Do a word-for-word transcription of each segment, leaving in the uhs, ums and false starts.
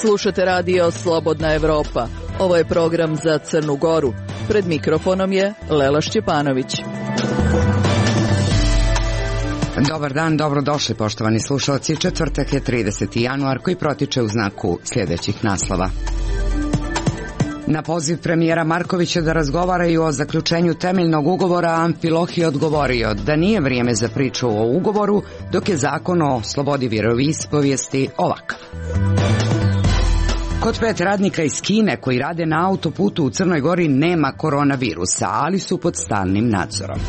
Slušate radio Slobodna Evropa. Ovo je program za Crnu Goru. Pred mikrofonom je Lela Šćepanović. Dobar dan, dobrodošli poštovani slušalci. Četvrtak je trideseti januar koji protiče u znaku sljedećih naslova. Na poziv premijera Markovića da razgovaraju o zaključenju temeljnog ugovora, Amfilohije odgovorio da nije vrijeme za priču o ugovoru, dok je zakon o slobodi vjeroispovijesti ovakav. Kod pet radnika iz Kine koji rade na autoputu u Crnoj Gori nema koronavirusa, ali su pod stalnim nadzorom.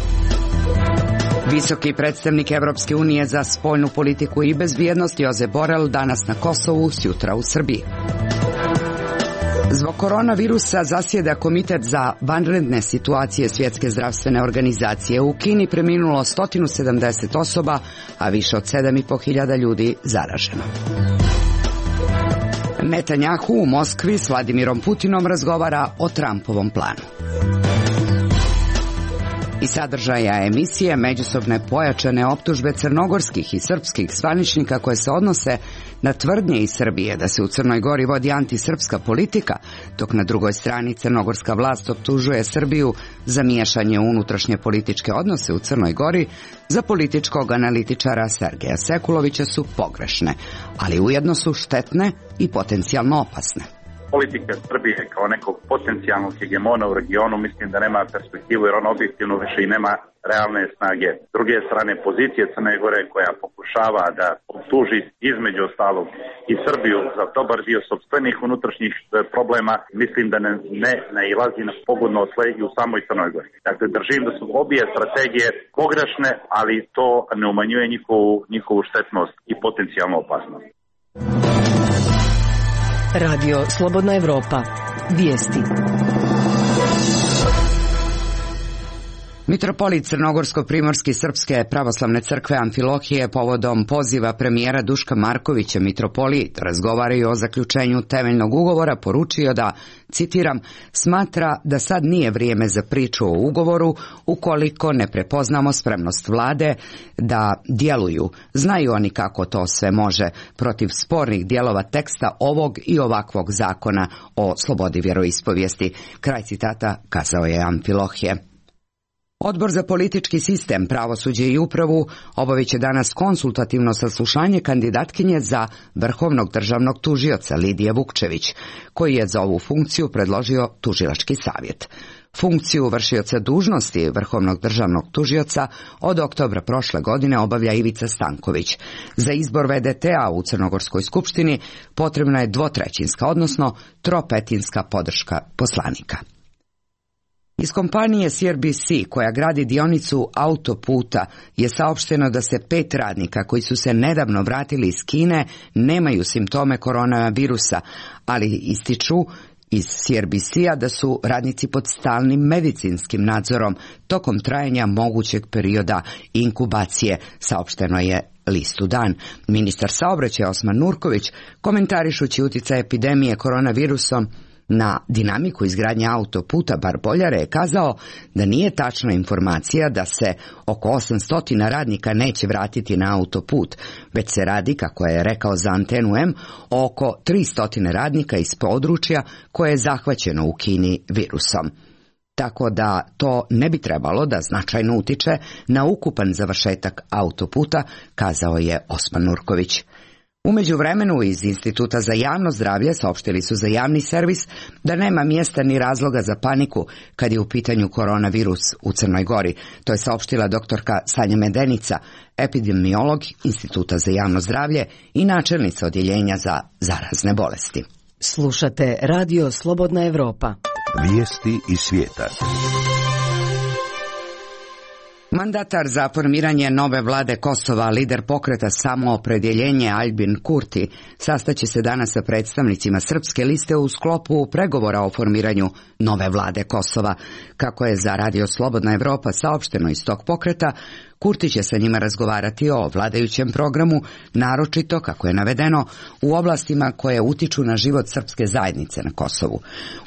Visoki predstavnik Evropske unije za spoljnu politiku i bezbjednost Josep Borrell danas na Kosovu, sutra u Srbiji. Zbog koronavirusa zasjeda Komitet za vanredne situacije Svjetske zdravstvene organizacije. U Kini preminulo sto sedamdeset osoba, a više od sedam i po hiljada ljudi zaraženo. Netanjahu u Moskvi s Vladimirom Putinom razgovara o Trumpovom planu. I sadržaja emisije međusobne pojačane optužbe crnogorskih i srpskih zvaničnika koje se odnose na tvrdnje iz Srbije da se u Crnoj Gori vodi antisrpska politika, dok na drugoj strani crnogorska vlast optužuje Srbiju za miješanje u unutrašnje političke odnose u Crnoj Gori, za političkog analitičara Sergeja Sekulovića su pogrešne, ali ujedno su štetne i potencijalno opasne. Politika Srbije kao nekog potencijalnog hegemona u regionu mislim da nema perspektivu, jer on objektivno više i nema realne snage. S druge strane, pozicije Crne Gore koja pokušava da optuži između ostalog i Srbiju za dobar dio sopstvenih unutrašnjih problema, mislim da ne, ne nailazi na pogodno tle i u samoj Crnoj Gori. Dakle, držim da su obje strategije pogrešne, ali to ne umanjuje njihovu, njihovu štetnost i potencijalnu opasnost. Radio Slobodna Evropa. Vijesti. Mitropolit Crnogorsko-primorski Srpske pravoslavne crkve Amfilohije povodom poziva premijera Duška Markovića mitropolit razgovaraju o zaključenju temeljnog ugovora poručio da, citiram, smatra da sad nije vrijeme za priču o ugovoru ukoliko ne prepoznamo spremnost vlade da djeluju. Znaju oni kako to sve može protiv spornih dijelova teksta ovog i ovakvog zakona o slobodi vjeroispovijesti. Kraj citata kazao je Amfilohije. Odbor za politički sistem, pravosuđe i upravu obavit će danas konsultativno saslušanje kandidatkinje za vrhovnog državnog tužioca Lidije Vukčević, koji je za ovu funkciju predložio tužilački savjet. Funkciju vršioca dužnosti vrhovnog državnog tužioca od oktobra prošle godine obavlja Ivica Stanković. Za izbor ve de te-a u Crnogorskoj skupštini potrebna je dvotrećinska, odnosno tropetinska podrška poslanika. Iz kompanije C R B C koja gradi dionicu autoputa je saopšteno da se pet radnika koji su se nedavno vratili iz Kine nemaju simptome koronavirusa, ali ističu iz C R B C-a da su radnici pod stalnim medicinskim nadzorom tokom trajanja mogućeg perioda inkubacije, saopšteno je listu Dan. Ministar saobraćaja Osman Nurković, komentarišući utjecaj epidemije koronavirusom na dinamiku izgradnje autoputa Bar-Boljare, je kazao da nije tačna informacija da se oko osamsto radnika neće vratiti na autoput, već se radi, kako je rekao za Antenu M, oko tristo radnika iz područja koje je zahvaćeno u Kini virusom. Tako da to ne bi trebalo da značajno utiče na ukupan završetak autoputa, kazao je Osman Nurković. U međuvremenu iz Instituta za javno zdravlje saopštili su za javni servis da nema mjesta ni razloga za paniku kad je u pitanju koronavirus u Crnoj Gori. To je saopštila doktorka Sanja Medenica, epidemiolog Instituta za javno zdravlje i načelnica odjeljenja za zarazne bolesti. Slušate radio Slobodna Evropa. Vijesti iz svijeta. Mandatar za formiranje nove vlade Kosova, lider pokreta Samoopredjeljenje Aljbin Kurti, sastaće se danas sa predstavnicima srpske liste u sklopu pregovora o formiranju nove vlade Kosova. Kako je za radio Slobodna Evropa saopšteno iz tog pokreta, Kurti će sa njima razgovarati o vladajućem programu, naročito, kako je navedeno, u oblastima koje utiču na život srpske zajednice na Kosovu.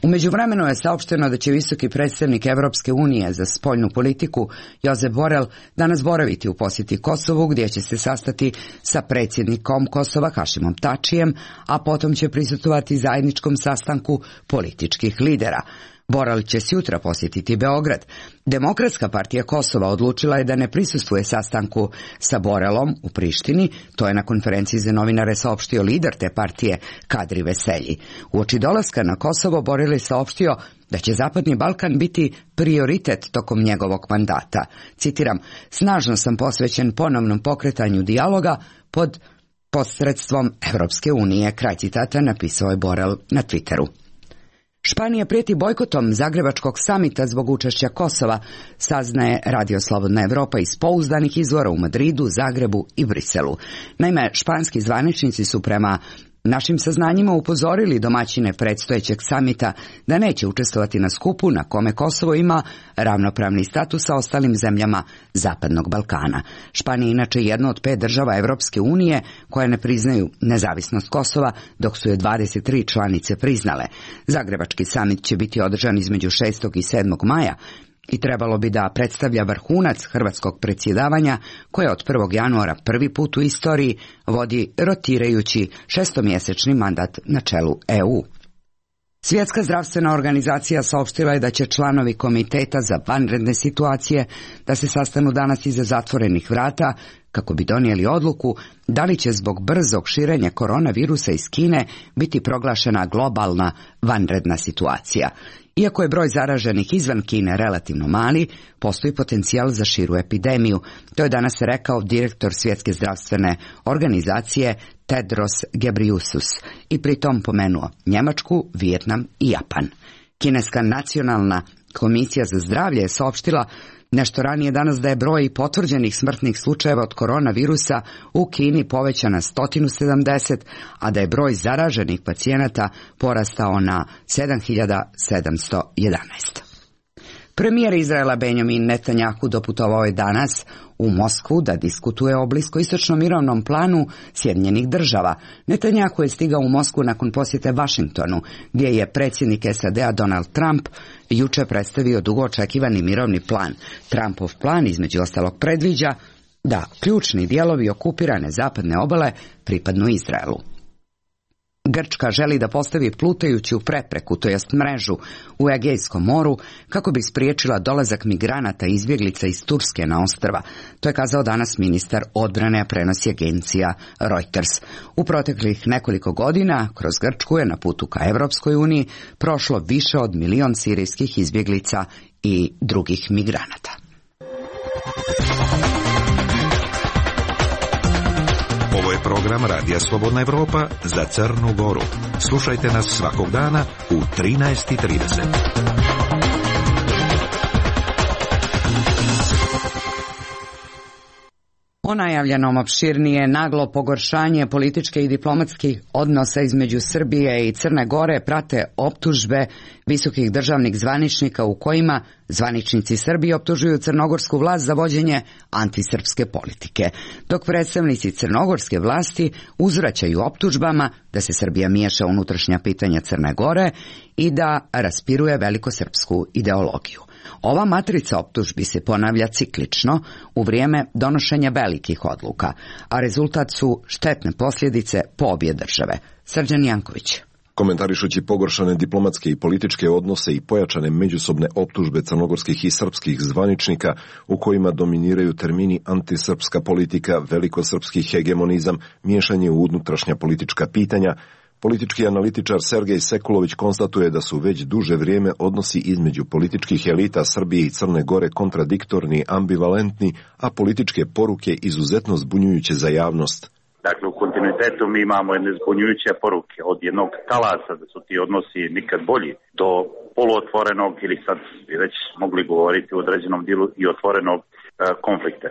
U međuvremenu je saopšteno da će visoki predstavnik Evropske unije za spoljnu politiku Josep Borrell danas boraviti u posjeti Kosovu, gdje će se sastati sa predsjednikom Kosova Hašimom Tačijem, a potom će prisustvovati zajedničkom sastanku političkih lidera. Borrell će sutra posjetiti Beograd. Demokratska partija Kosova odlučila je da ne prisustvuje sastanku sa Borrellom u Prištini, to je na konferenciji za novinare saopštio lider te partije Kadri Veselji. Uoči dolaska na Kosovo Borrell je saopštio da će Zapadni Balkan biti prioritet tokom njegovog mandata. Citiram, snažno sam posvećen ponovnom pokretanju dijaloga pod posredstvom Evropske unije, kraj citata, napisao je Borrell na Twitteru. Španija prijeti bojkotom Zagrebačkog samita zbog učešća Kosova, saznaje Radio Slobodna Evropa iz pouzdanih izvora u Madridu, Zagrebu i Briselu. Naime, španski zvaničnici su prema našim saznanjima upozorili domaćine predstojećeg samita da neće učestvovati na skupu na kome Kosovo ima ravnopravni status sa ostalim zemljama Zapadnog Balkana. Španija je inače jedna od pet država Evropske unije koje ne priznaju nezavisnost Kosova, dok su je dvadeset tri članice priznale. Zagrebački samit će biti održan između šestog i sedmog maja i trebalo bi da predstavlja vrhunac hrvatskog predsjedavanja koje od prvog januara prvi put u istoriji vodi rotirajući šestomjesečni mandat na čelu E U. Svjetska zdravstvena organizacija saopštila je da će članovi komiteta za vanredne situacije da se sastanu danas iza zatvorenih vrata kako bi donijeli odluku da li će zbog brzog širenja koronavirusa iz Kine biti proglašena globalna vanredna situacija. Iako je broj zaraženih izvan Kine relativno mali, postoji potencijal za širu epidemiju. To je danas rekao direktor Svjetske zdravstvene organizacije Tedros Ghebreyesus i pritom pomenuo Njemačku, Vijetnam i Japan. Kineska nacionalna komisija za zdravlje je saopštila nešto ranije danas da je broj potvrđenih smrtnih slučajeva od koronavirusa u Kini povećan na sto sedamdeset, a da je broj zaraženih pacijenata porastao na sedam hiljada sedamsto jedanaest. Premijer Izraela Benjamin Netanjahu doputovao je danas u Moskvu da diskutuje o bliskoistočnom mirovnom planu Sjedinjenih država. Netanjahu je stigao u Moskvu nakon posjete Vašingtonu, gdje je predsjednik S A D-a Donald Trump juče predstavio dugo očekivani mirovni plan. Trumpov plan između ostalog predviđa da ključni dijelovi okupirane zapadne obale pripadnu Izraelu. Grčka želi da postavi plutajuću prepreku, to jest mrežu, u Egejskom moru kako bi spriječila dolazak migranata i izbjeglica iz Turske na ostrva. To je kazao danas ministar odbrane, a prenosi agencija Reuters. U proteklih nekoliko godina kroz Grčku je na putu ka Evropskoj uniji prošlo više od milion sirijskih izbjeglica i drugih migranata. Ovo je program Radija Slobodna Evropa za Crnu Goru. Slušajte nas svakog dana u trinaest i trideset. O najavljenom opširnije naglo pogoršanje političke i diplomatskih odnosa između Srbije i Crne Gore prate optužbe visokih državnih zvaničnika u kojima zvaničnici Srbije optužuju crnogorsku vlast za vođenje antisrpske politike, dok predstavnici crnogorske vlasti uzvraćaju optužbama da se Srbija miješa u unutrašnja pitanja Crne Gore i da raspiruje velikosrpsku ideologiju. Ova matrica optužbi se ponavlja ciklično u vrijeme donošenja velikih odluka, a rezultat su štetne posljedice po obje države. Srđan Janković. Komentarišući pogoršane diplomatske i političke odnose i pojačane međusobne optužbe crnogorskih i srpskih zvaničnika u kojima dominiraju termini antisrpska politika, velikosrpski hegemonizam, miješanje u unutrašnja politička pitanja, politički analitičar Sergej Sekulović konstatuje da su već duže vrijeme odnosi između političkih elita Srbije i Crne Gore kontradiktorni, ambivalentni, a političke poruke izuzetno zbunjujuće za javnost. Dakle, u kontinuitetu mi imamo jedne zbunjujuće poruke od jednog talasa da su ti odnosi nikad bolji do poluotvorenog ili sad bi već mogli govoriti u određenom dijelu i otvorenog e, konflikta.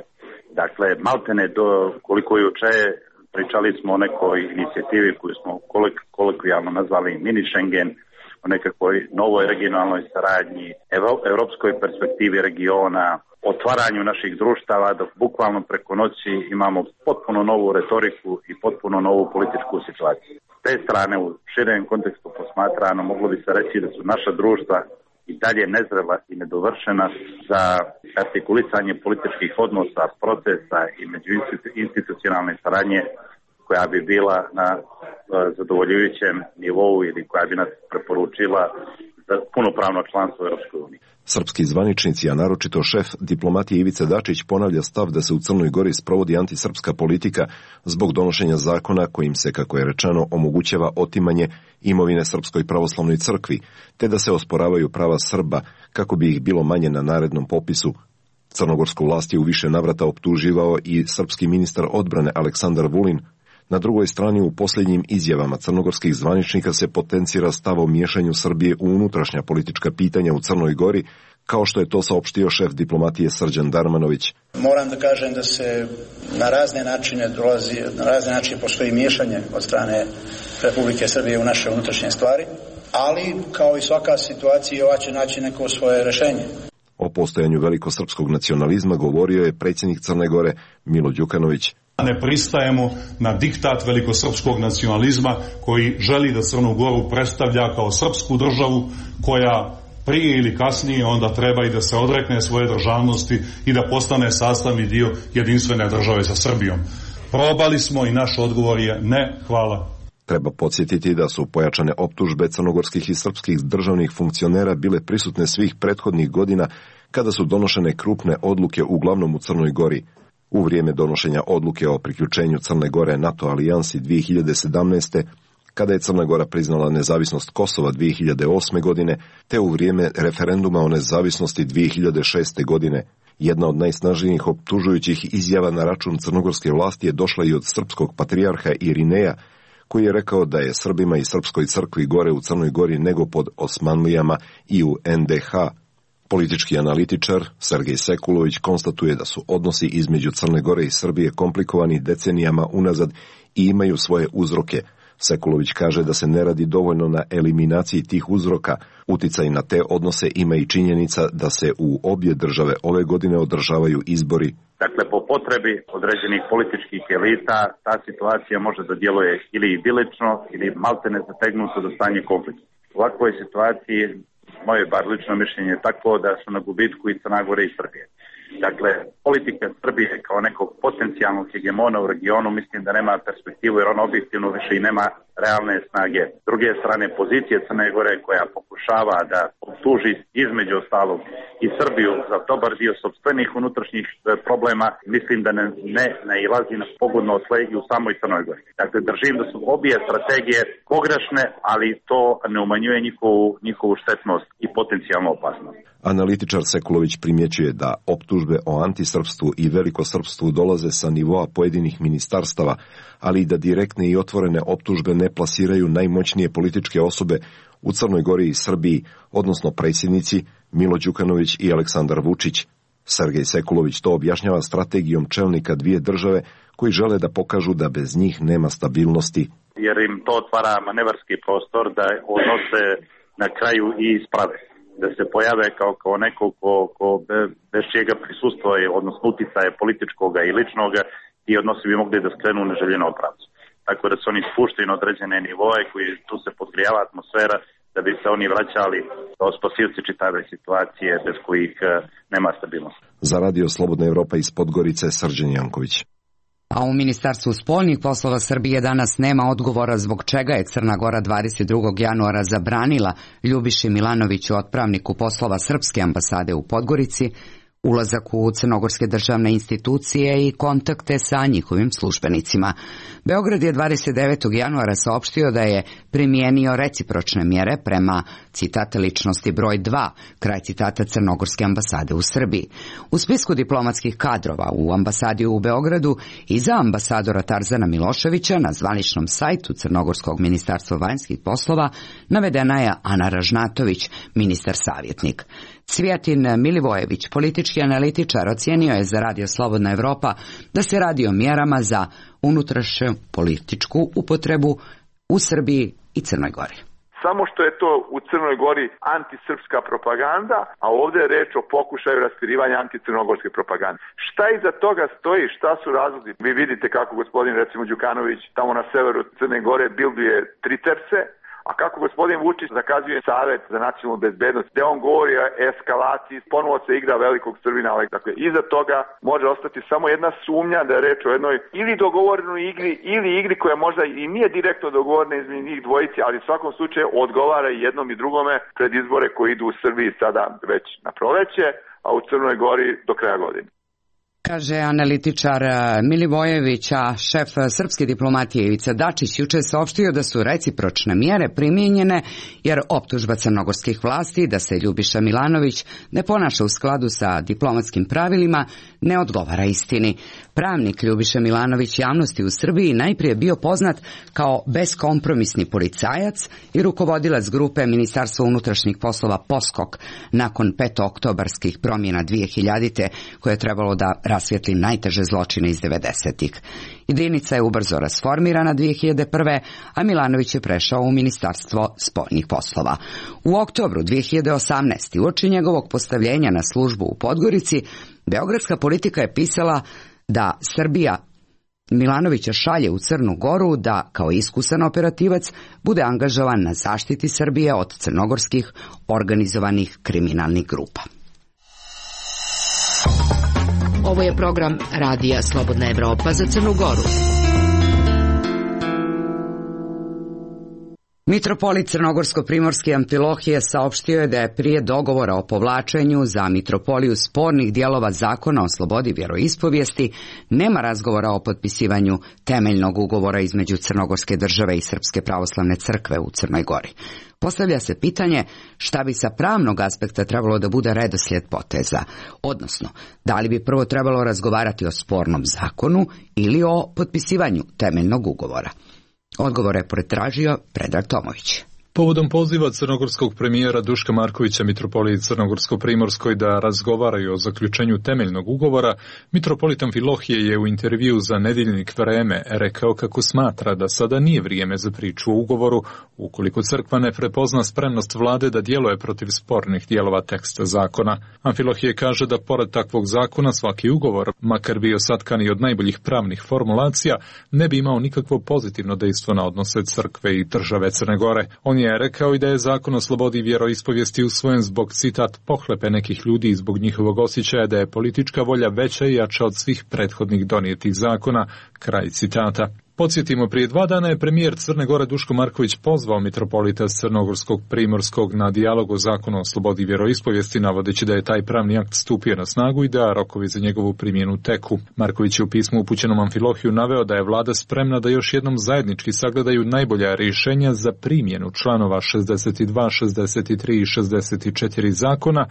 Dakle, maltene do koliko juče pričali smo o nekoj inicijativi koju smo kolik, kolokvijalno nazvali mini Schengen, o nekakvoj novoj regionalnoj saradnji, evropskoj perspektivi regiona, otvaranju naših društava, dok bukvalno preko noći imamo potpuno novu retoriku i potpuno novu političku situaciju. S te strane, u širem kontekstu posmatrano, moglo bi se reći da su naša društva i dalje nezrela i nedovršena za artikulisanje političkih odnosa, procesa i međuinstitucionalne saradnje koja bi bila na zadovoljujućem nivou ili koja bi nas preporučila za punopravno članstvo u Europskoj uniji. Srpski zvaničnici, a naročito šef diplomatije Ivica Dačić, ponavlja stav da se u Crnoj Gori sprovodi antisrpska politika zbog donošenja zakona kojim se, kako je rečeno, omogućava otimanje imovine Srpskoj pravoslavnoj crkvi, te da se osporavaju prava Srba kako bi ih bilo manje na narednom popisu. Crnogorsku vlast je u više navrata optuživao i srpski ministar odbrane Aleksandar Vulin. Na drugoj strani, u posljednjim izjavama crnogorskih zvaničnika se potencira stav o miješanju Srbije u unutrašnja politička pitanja u Crnoj Gori, kao što je to saopštio šef diplomatije Srđan Darmanović. Moram da kažem da se na razne načine dolazi, na razne načine postoji miješanje od strane Republike Srbije u naše unutrašnje stvari, ali kao i svaka situacija ova će naći neko svoje rješenje. O postojanju velikosrpskog nacionalizma govorio je predsjednik Crne Gore Milo Đukanović. Ne pristajemo na diktat velikosrpskog nacionalizma koji želi da Crnu Goru predstavlja kao srpsku državu koja prije ili kasnije onda treba i da se odrekne svoje državnosti i da postane sastavni dio jedinstvene države sa Srbijom. Probali smo i naš odgovor je ne, hvala. Treba podsjetiti da su pojačane optužbe crnogorskih i srpskih državnih funkcionera bile prisutne svih prethodnih godina kada su donošene krupne odluke uglavnom u Crnoj Gori. U vrijeme donošenja odluke o priključenju Crne Gore NATO alijansi dvije hiljade sedamnaeste. kada je Crna Gora priznala nezavisnost Kosova dvije hiljade osme. godine, te u vrijeme referenduma o nezavisnosti dvije hiljade šeste. godine. Jedna od najsnažnijih optužujućih izjava na račun crnogorske vlasti je došla i od srpskog patrijarha Irineja, koji je rekao da je Srbima i Srpskoj crkvi gore u Crnoj Gori nego pod Osmanlijama i u en de ha. Politički analitičar Sergej Sekulović konstatuje da su odnosi između Crne Gore i Srbije komplikovani decenijama unazad i imaju svoje uzroke. Sekulović kaže da se ne radi dovoljno na eliminaciji tih uzroka. Uticaj na te odnose ima i činjenica da se u obje države ove godine održavaju izbori. Dakle, po potrebi određenih političkih elita ta situacija može da djeluje ili idilično ili maltene zategnuto do stanje konflikta. U ovakvoj situaciji moje bar lično mišljenje je tako da su na gubitku i Crna Gora i Srbije. Dakle, politika Srbije kao nekog potencijalnog hegemona u regionu mislim da nema perspektivu jer on objektivno više i nema realne snage. S druge strane, pozicije Crne Gore koja pokušava da optuži između ostalog i Srbiju za dobar dio sopstvenih unutrašnjih problema, mislim da ne, ne nailazi na pogodno tle i u samoj Crnoj Gori. Dakle, držim da su obje strategije pogrešne, ali to ne umanjuje njihovu, njihovu štetnost i potencijalnu opasnost. Analitičar Sekulović primjećuje da optužbe o antisrpstvu i velikosrpstvu dolaze sa nivoa pojedinih ministarstava, ali i da direktne i otvorene optužbe ne plasiraju najmoćnije političke osobe u Crnoj Gori i Srbiji, odnosno predsjednici Milo Đukanović i Aleksandar Vučić. Sergej Sekulović to objašnjava strategijom čelnika dvije države koji žele da pokažu da bez njih nema stabilnosti. Jer im to otvara manevarski prostor da odnose na kraju i isprave. Da se pojave kao, kao neko ko, ko bez čega prisustva je, odnosno uticaje političkoga i ličnoga, i odnosi bi mogli da skrenu u neželjenom pravcu. Tako da se oni spuštaju na određene nivoje koji tu se podgrijava atmosfera da bi se oni vraćali kao spasilci čitave situacije bez kojih nema stabilnosti. Za Radio Slobodna Evropa iz Podgorice, Srđan Janković. A u Ministarstvu spoljnih poslova Srbije danas nema odgovora zbog čega je Crna Gora dvadeset drugog januara zabranila Ljubiši Milanoviću, otpravniku poslova Srpske ambasade u Podgorici, ulazak u crnogorske državne institucije i kontakte sa njihovim službenicima. Beograd je dvadeset devetog januara saopštio da je primijenio recipročne mjere prema, citata, ličnosti broj dva, kraj citata, crnogorske ambasade u Srbiji. U spisku diplomatskih kadrova u ambasadi u Beogradu i za ambasadora Tarzana Miloševića na zvaničnom sajtu Crnogorskog ministarstva vanjskih poslova navedena je Ana Ražnatović, ministar savjetnik. Cvijatin Milivojević, politički analitičar, ocijenio je za Radio Slobodna Evropa da se radi o mjerama za unutrašnju političku upotrebu u Srbiji i Crnoj Gori. samo što je to u Crnoj Gori antisrpska propaganda, a ovdje je reč o pokušaju raspirivanja anticrnogorske propagande. Šta iza toga stoji, šta su razlozi? Vi vidite kako gospodin, recimo Đukanović, tamo na severu Crne Gore bilduje Triterse, a kako gospodin Vučić zakazuje Savet za nacionalnu bezbednost, gde on govori o eskalaciji, ponovo se igra velikog Srbina. Dakle, iza toga može ostati samo jedna sumnja da je reč o jednoj ili dogovorenoj igri, ili igri koja možda i nije direktno dogovorena između njih dvojici, ali u svakom slučaju odgovara i jednom i drugome pred izbore koji idu u Srbiji sada već na proleće, a u Crnoj Gori do kraja godine. Kaže analitičar Milivojević, a šef srpske diplomatije Ivica Dačić juče saopštio da su recipročne mjere primijenjene jer optužba crnogorskih vlasti da se Ljubiša Milanović ne ponaša u skladu sa diplomatskim pravilima ne odgovara istini. Pravnik Ljubiša Milanović javnosti u Srbiji najprije bio poznat kao beskompromisni policajac i rukovodilac grupe Ministarstva unutrašnjih poslova Poskok nakon petooktobarskih promjena dvije hiljadite koje je trebalo da rasvijetli najteže zločine iz devedesetih. Jedinica je ubrzo rasformirana dvije hiljade prve. a Milanović je prešao u Ministarstvo spoljnih poslova. U oktobru dvije hiljade osamnaeste. uoči njegovog postavljenja na službu u Podgorici, beogradska Politika je pisala da Srbija Milanovića šalje u Crnu Goru da, kao iskusan operativac, bude angažovan na zaštiti Srbije od crnogorskih organizovanih kriminalnih grupa. Ovo je program Radija Slobodna Evropa za Crnu Goru. Mitropolit Crnogorsko-primorski Amfilohije saopštio je da je prije dogovora o povlačenju za mitropoliju spornih dijelova zakona o slobodi vjeroispovijesti nema razgovora o potpisivanju temeljnog ugovora između Crnogorske države i Srpske pravoslavne crkve u Crnoj Gori. Postavlja se pitanje šta bi sa pravnog aspekta trebalo da bude redoslijed poteza, odnosno da li bi prvo trebalo razgovarati o spornom zakonu ili o potpisivanju temeljnog ugovora. Odgovor je pretražio Predrag Tomović. Povodom poziva crnogorskog premijera Duška Markovića mitropoliji Crnogorsko-primorskoj da razgovaraju o zaključenju temeljnog ugovora, mitropolit Amfilohije je u intervju za Nedeljnik Vreme rekao kako smatra da sada nije vrijeme za priču o ugovoru, ukoliko crkva ne prepozna spremnost vlade da djeluje protiv spornih dijelova teksta zakona. Amfilohije kaže da pored takvog zakona svaki ugovor, makar bio satkan i od najboljih pravnih formulacija, ne bi imao nikakvo pozitivno dejstvo na odnose crkve i države Crne Gore. On je rekao i da je zakon o slobodi vjeroispovijesti usvojen zbog, citat, pohlepe nekih ljudi i zbog njihovog osjećaja da je politička volja veća i jača od svih prethodnih donijetih zakona, kraj citata. Podsjetimo, prije dva dana je premijer Crne Gore Duško Marković pozvao mitropolita Crnogorskog Primorskog na dijalog o zakonu o slobodi vjeroispovijesti, navodeći da je taj pravni akt stupio na snagu i da rokovi za njegovu primjenu teku. Marković je u pismu upućenom Amfilohiju naveo da je vlada spremna da još jednom zajednički sagledaju najbolja rješenja za primjenu članova šezdeset dva, šezdeset tri i šezdeset četiri zakona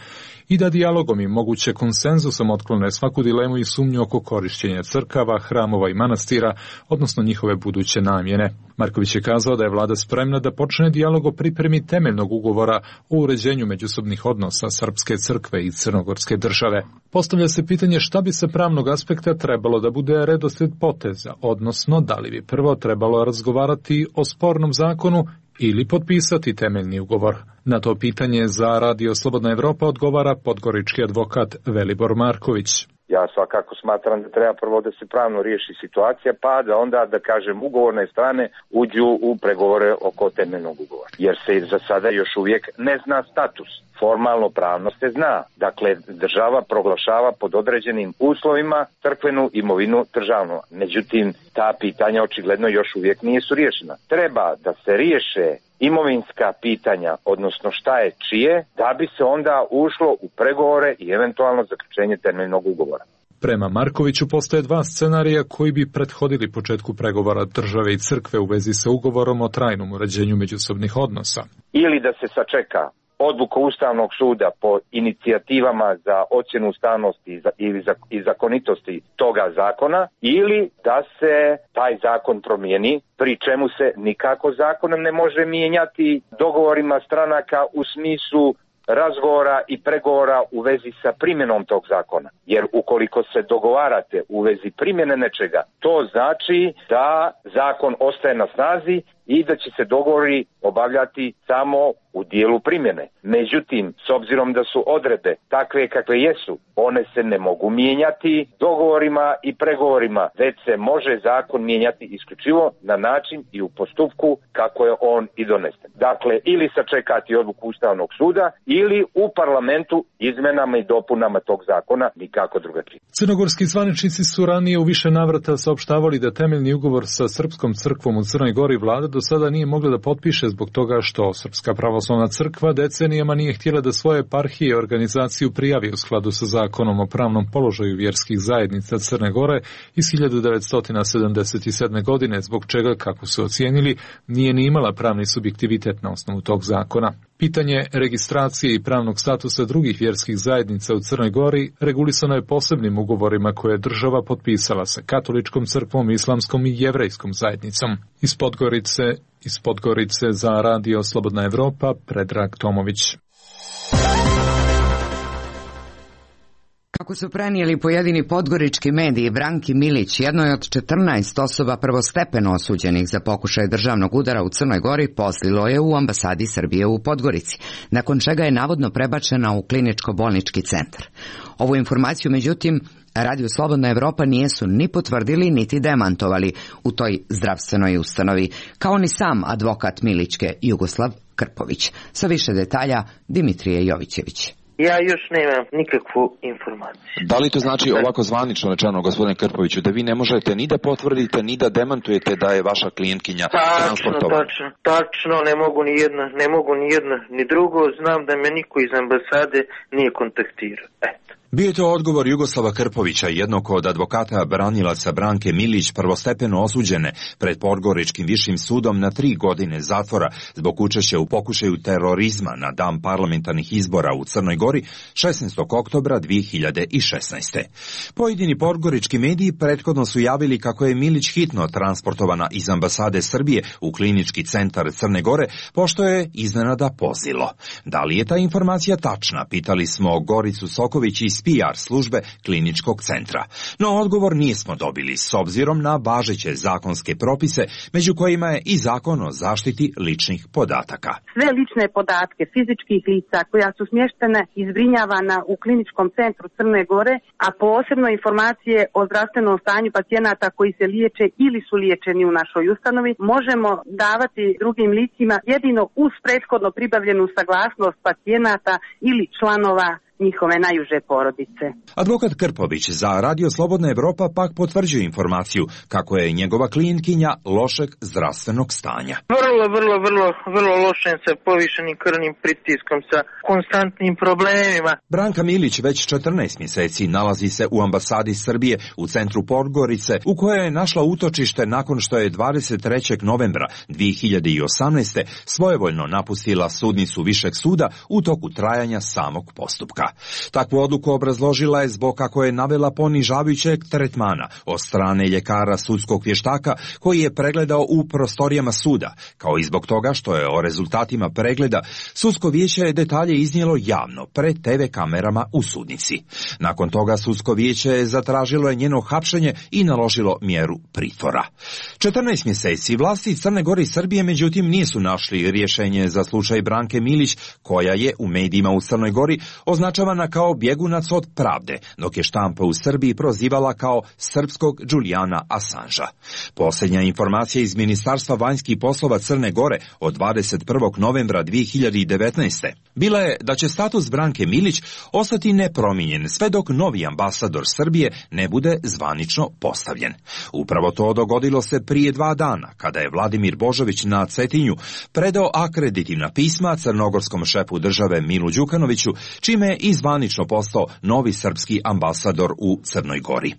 i da dijalogom i moguće konsenzusom otklone svaku dilemu i sumnju oko korištenja crkava, hramova i manastira, odnosno njihove buduće namjene. Marković je kazao da je vlada spremna da počne dijalog o pripremi temeljnog ugovora o uređenju međusobnih odnosa Srpske crkve i Crnogorske države. Postavlja se pitanje šta bi sa pravnog aspekta trebalo da bude redoslijed poteza, odnosno da li bi prvo trebalo razgovarati o spornom zakonu ili potpisati temeljni ugovor. Na to pitanje za Radio Slobodna Evropa odgovara podgorički advokat Velibor Marković. Ja svakako smatram da treba prvo da se pravno riješi situacija, pa da onda, da kažem, ugovorne strane uđu u pregovore oko temeljnog ugovora. Jer se za sada još uvijek ne zna status. Formalno pravno se zna. Dakle, država proglašava pod određenim uslovima crkvenu imovinu državnu. Međutim, ta pitanja očigledno još uvijek nisu riješena. Treba da se riješe imovinska pitanja, odnosno šta je čije, da bi se onda ušlo u pregovore i eventualno zaključenje temeljnog ugovora. Prema Markoviću postoje dva scenarija koji bi prethodili početku pregovora države i crkve u vezi sa ugovorom o trajnom uređenju međusobnih odnosa. Ili da se sačeka odluka Ustavnog suda po inicijativama za ocjenu ustavnosti i zakonitosti toga zakona, ili da se taj zakon promijeni, pri čemu se nikako zakonom ne može mijenjati dogovorima stranaka u smislu razgovora i pregovora u vezi sa primjenom tog zakona. Jer ukoliko se dogovarate u vezi primjene nečega, to znači da zakon ostaje na snazi i da će se dogovori obavljati samo u dijelu primjene. Međutim, s obzirom da su odredbe takve kakve jesu, one se ne mogu mijenjati dogovorima i pregovorima, već se može zakon mijenjati isključivo na način i u postupku kako je on i donesen. Dakle, ili sačekati odluku Ustavnog suda ili u parlamentu izmenama i dopunama tog zakona, nikako drugačije. Crnogorski zvaničnici su ranije u više navrata saopštavali da temeljni ugovor sa Srpskom crkvom u Crnoj Gori vlada do sada nije mogla da potpiše zbog toga što Srpska pravoslavna crkva decenijama nije htjela da svoje eparhije i organizaciju prijavi u skladu sa zakonom o pravnom položaju vjerskih zajednica Crne Gore iz hiljadu devetsto sedamdeset sedme. godine, zbog čega, kako su ocijenili, nije ni imala pravni subjektivitet na osnovu tog zakona. Pitanje registracije i pravnog statusa drugih vjerskih zajednica u Crnoj Gori regulisano je posebnim ugovorima koje je država potpisala sa katoličkom crkvom, islamskom i jevrejskom zajednicom. Iz Podgorice, iz Podgorice za Radio Slobodna Evropa, Predrag Tomović. Kako su prenijeli pojedini podgorički mediji, Branki Milić, jednoj od četrnaest osoba prvostepeno osuđenih za pokušaj državnog udara u Crnoj Gori, poslilo je u ambasadi Srbije u Podgorici, nakon čega je navodno prebačena u kliničko-bolnički centar. Ovu informaciju, međutim, Radio Slobodna Evropa nijesu ni potvrdili niti demantovali u toj zdravstvenoj ustanovi, kao ni sam advokat Milićke Jugoslav Krpović. Sa više detalja Dimitrije Jovićević. Ja još nemam nikakvu informaciju. Da li to znači ovako zvanično rečeno, gospodine Krpoviću, da vi ne možete ni da potvrdite, ni da demantujete da je vaša klijentkinja transportovana? Tačno, tačno, ne mogu ni jedno, ne mogu ni jedno, ni drugo. Znam da me niko iz ambasade nije kontaktirao. Eto. Bio je to odgovor Jugoslava Krpovića, jednog od advokata branilaca Branke Milić, prvostepeno osuđene pred Podgoričkim višim sudom na tri godine zatvora zbog učešća u pokušaju terorizma na dan parlamentarnih izbora u Crnoj Gori šesnaestog oktobra dvije hiljade šesnaeste. Pojedini podgorički mediji prethodno su javili kako je Milić hitno transportovana iz ambasade Srbije u klinički centar Crne Gore, pošto je iznenada pozilo. Da li je ta informacija tačna, pitali smo Goricu Soković iz P R službe kliničkog centra. No odgovor nismo dobili s obzirom na važeće zakonske propise, među kojima je i zakon o zaštiti ličnih podataka. Sve lične podatke fizičkih lica koja su smještene i zbrinjavana u kliničkom centru Crne Gore, a posebno informacije o zdravstvenom stanju pacijenata koji se liječe ili su liječeni u našoj ustanovi, možemo davati drugim licima jedino uz prethodno pribavljenu saglasnost pacijenata ili članova njihove najuže porodice. Advokat Krpović za Radio Slobodna Evropa pak potvrđuje informaciju kako je njegova klijentkinja lošeg zdravstvenog stanja. Vrlo, vrlo, vrlo, vrlo lošem sa povišenim krvnim pritiskom, sa konstantnim problemima. Branka Milić već četrnaest mjeseci nalazi se u ambasadi Srbije u centru Podgorice, u kojoj je našla utočište nakon što je dvadeset trećeg novembra dvije hiljade osamnaeste. svojevoljno napustila sudnicu Višeg suda u toku trajanja samog postupka. Takvu odluku obrazložila je zbog kako je navela ponižavajućeg tretmana od strane ljekara sudskog vještaka koji je pregledao u prostorijama suda, kao i zbog toga što je o rezultatima pregleda sudsko vijeće je detalje iznijelo javno pred te ve kamerama u sudnici. Nakon toga sudsko vijeće je zatražilo je njeno hapšenje i naložilo mjeru pritvora. četrnaest mjeseci vlasti Crne Gore i Srbije međutim nisu našli rješenje za slučaj Branke Milić, koja je u medijima u Crnoj Gori označavana kao bjegunac od pravde, dok je štampa u Srbiji prozivala kao srpskog Julijana Assangea. Posljednja informacija iz Ministarstva vanjskih poslova Crne Gore od dvadeset prvog novembra dvije hiljade devetnaeste. bila je da će status Branke Milić ostati nepromijenjen sve dok novi ambasador Srbije ne bude zvanično postavljen. Upravo to dogodilo se prije dva dana, kada je Vladimir Božović na Cetinju predao akreditivna pisma crnogorskom šefu države Milu Đukanoviću, čime je i zvanično postao novi srpski ambasador u Crnoj Gori.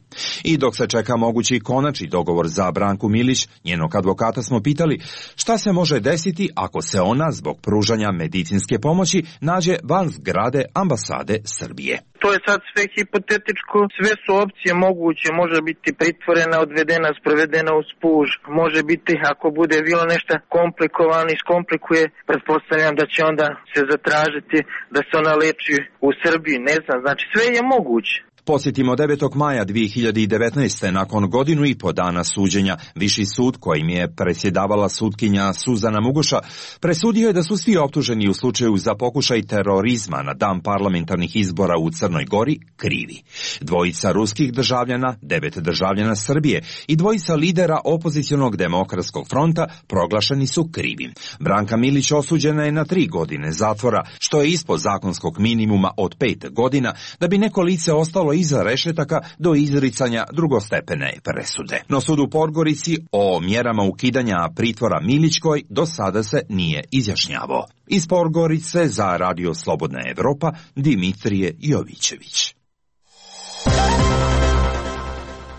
I dok se čeka mogući konačni dogovor za Branku Milić, njenog advokata smo pitali šta se može desiti ako se ona zbog pružanja medicinske pomoći nađe van zgrade ambasade Srbije. To je sad sve hipotetičko, sve su opcije moguće, može biti pritvorena, odvedena, sprovedena uz puž, može biti ako bude bilo nešto komplikovano i skomplikuje, pretpostavljam da će onda se zatražiti da se ona leči u Srbiji, ne znam, znači sve je moguće. Posjetimo devetog maja dvije hiljade devetnaeste. nakon godinu i po dana suđenja, Viši sud kojim je predsjedavala sudkinja Suzana Muguša presudio je da su svi optuženi u slučaju za pokušaj terorizma na dan parlamentarnih izbora u Crnoj Gori krivi. Dvojica ruskih državljana, devet državljana Srbije i dvojica lidera opozicionog demokratskog fronta proglašeni su krivim. Branka Milić osuđena je na tri godine zatvora, što je ispod zakonskog minimuma od pet godina, da bi neko lice ostalo iza rešetaka do izricanja drugostepene presude. No sud u Podgorici o mjerama ukidanja pritvora Milićkoj do sada se nije izjašnjavao. Iz Podgorice za Radio Slobodna Evropa, Dimitrije Jovićević.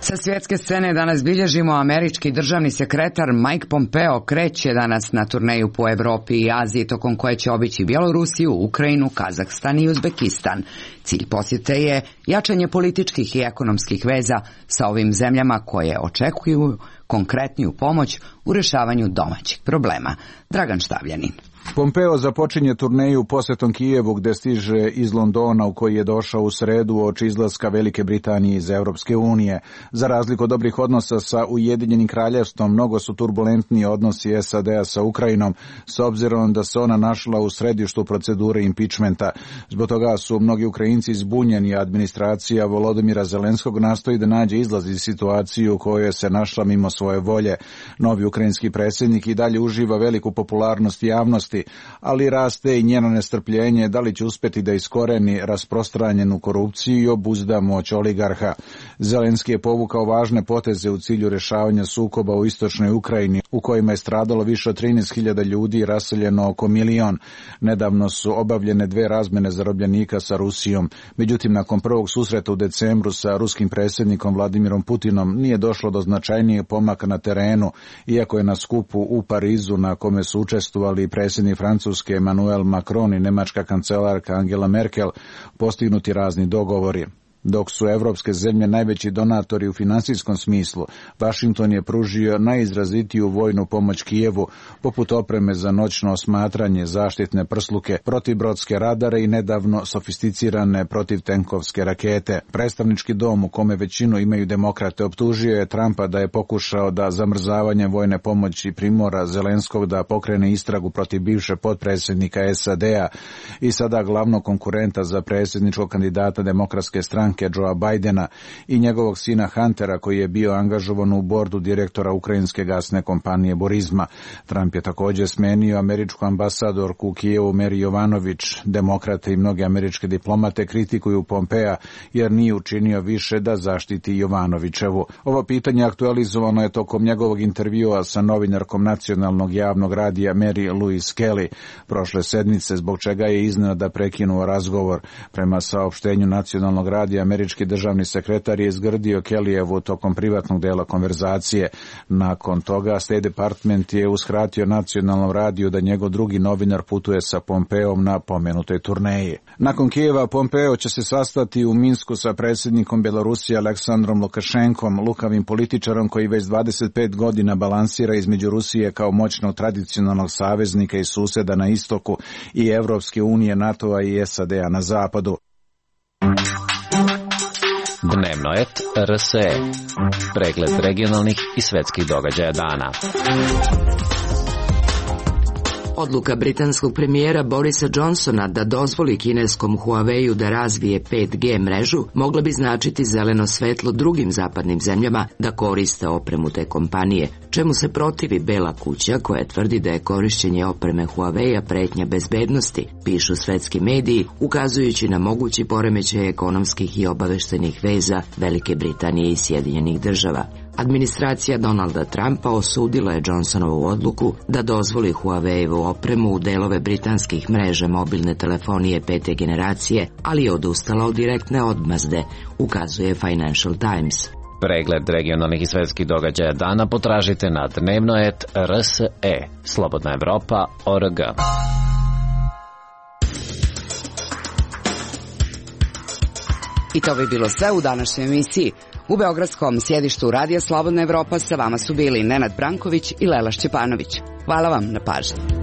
Sa svjetske scene danas bilježimo američki državni sekretar Mike Pompeo kreće danas na turneju po Evropi i Aziji, tokom koje će obići Bjelorusiju, Ukrajinu, Kazahstan i Uzbekistan. Cilj posjete je jačanje političkih i ekonomskih veza sa ovim zemljama koje očekuju konkretniju pomoć u rješavanju domaćih problema. Dragan Štavljanin. Pompeo započinje turneju posjetom Kijevu gdje stiže iz Londona u koji je došao u sredu uoči izlaska Velike Britanije iz Europske unije. Za razliku od dobrih odnosa sa Ujedinjenim kraljevstvom, mnogo su turbulentniji odnosi S A D-a sa Ukrajinom, s obzirom da se ona našla u središtu procedure impičmenta. Zbog toga su mnogi Ukrajinci zbunjeni, a administracija Volodymyra Zelenskog nastoji da nađe izlaz iz situacije u kojoj se našla mimo svoje volje. Novi ukrajinski predsjednik i dalje uživa veliku popularnost javnosti, ali raste i njeno nestrpljenje da li će uspjeti da iskoreni rasprostranjenu korupciju i obuzda moć oligarha. Zelenski je povukao važne poteze u cilju rješavanja sukoba u istočnoj Ukrajini, u kojima je stradalo više od trinaest hiljada ljudi i raseljeno oko milion. Nedavno su obavljene dve razmjene zarobljenika sa Rusijom. Međutim, nakon prvog susreta u decembru sa ruskim predsjednikom Vladimirom Putinom nije došlo do značajnijeg pomaka na terenu, iako je na skupu u Parizu na kome su učestvovali predsjednik Francuske Emmanuel Macron i nemačka kancelarka Angela Merkel postignuti razni dogovori. Dok su evropske zemlje najveći donatori u financijskom smislu, Washington je pružio najizrazitiju vojnu pomoć Kijevu, poput opreme za noćno osmatranje, zaštitne prsluke, protibrodske radare i nedavno sofisticirane protivtenkovske rakete. Predstavnički dom, u kome većinu imaju demokrate, optužio je Trumpa da je pokušao da zamrzavanje vojne pomoći primora Zelenskog da pokrene istragu protiv bivše potpredsjednika S A D-a i sada glavnog konkurenta za predsjedničkog kandidata demokratske stranke Joea Bidena i njegovog sina Huntera, koji je bio angažovan u bordu direktora ukrajinske gasne kompanije Burisma. Trump je također smenio američku ambasadorku u Kijevu Mary Jovanović. Demokrate i mnoge američke diplomate kritikuju Pompea jer nije učinio više da zaštiti Jovanovićevu. Ovo pitanje aktualizovano je tokom njegovog intervjua sa novinarkom nacionalnog javnog radija Mary Louise Kelly prošle sedmice, zbog čega je iznenada prekinuo razgovor. Prema saopštenju nacionalnog radija, američki državni sekretar je izgrdio Kellyjevu tokom privatnog dela konverzacije. Nakon toga State Department je uskratio nacionalnom radiju da njegov drugi novinar putuje sa Pompeom na pomenutoj turneji. Nakon Kijeva Pompeo će se sastati u Minsku sa predsjednikom Bjelorusije Aleksandrom Lukašenkom, lukavim političarom koji već dvadeset pet godina balansira između Rusije kao moćnog tradicionalnog saveznika i suseda na istoku i Evropske unije, NATO-a i S A D-a na zapadu. Dnevno et R S E. Pregled regionalnih i svetskih događaja dana. Odluka britanskog premijera Borisa Johnsona da dozvoli kineskom Huawei-u da razvije pet G mrežu mogla bi značiti zeleno svetlo drugim zapadnim zemljama da koriste opremu te kompanije, čemu se protivi Bela kuća koja tvrdi da je korišćenje opreme Huawei-a pretnja bezbednosti, pišu svetski mediji, ukazujući na mogući poremećaj ekonomskih i obaveštenih veza Velike Britanije i Sjedinjenih država. Administracija Donalda Trumpa osudila je Johnsonovu odluku da dozvoli Huawei-evu opremu u delove britanskih mreža mobilne telefonije pete generacije, ali je odustala od direktne odmazde, ukazuje Financial Times. Pregled regionalnih i svetskih događaja dana potražite na dnevno et R S E, Slobodna Evropa, O R G. I to bi bilo sve u današnjoj emisiji. U beogradskom sjedištu Radija Slobodna Evropa sa vama su bili Nenad Branković i Lela Šćepanović. Hvala vam na pažnji.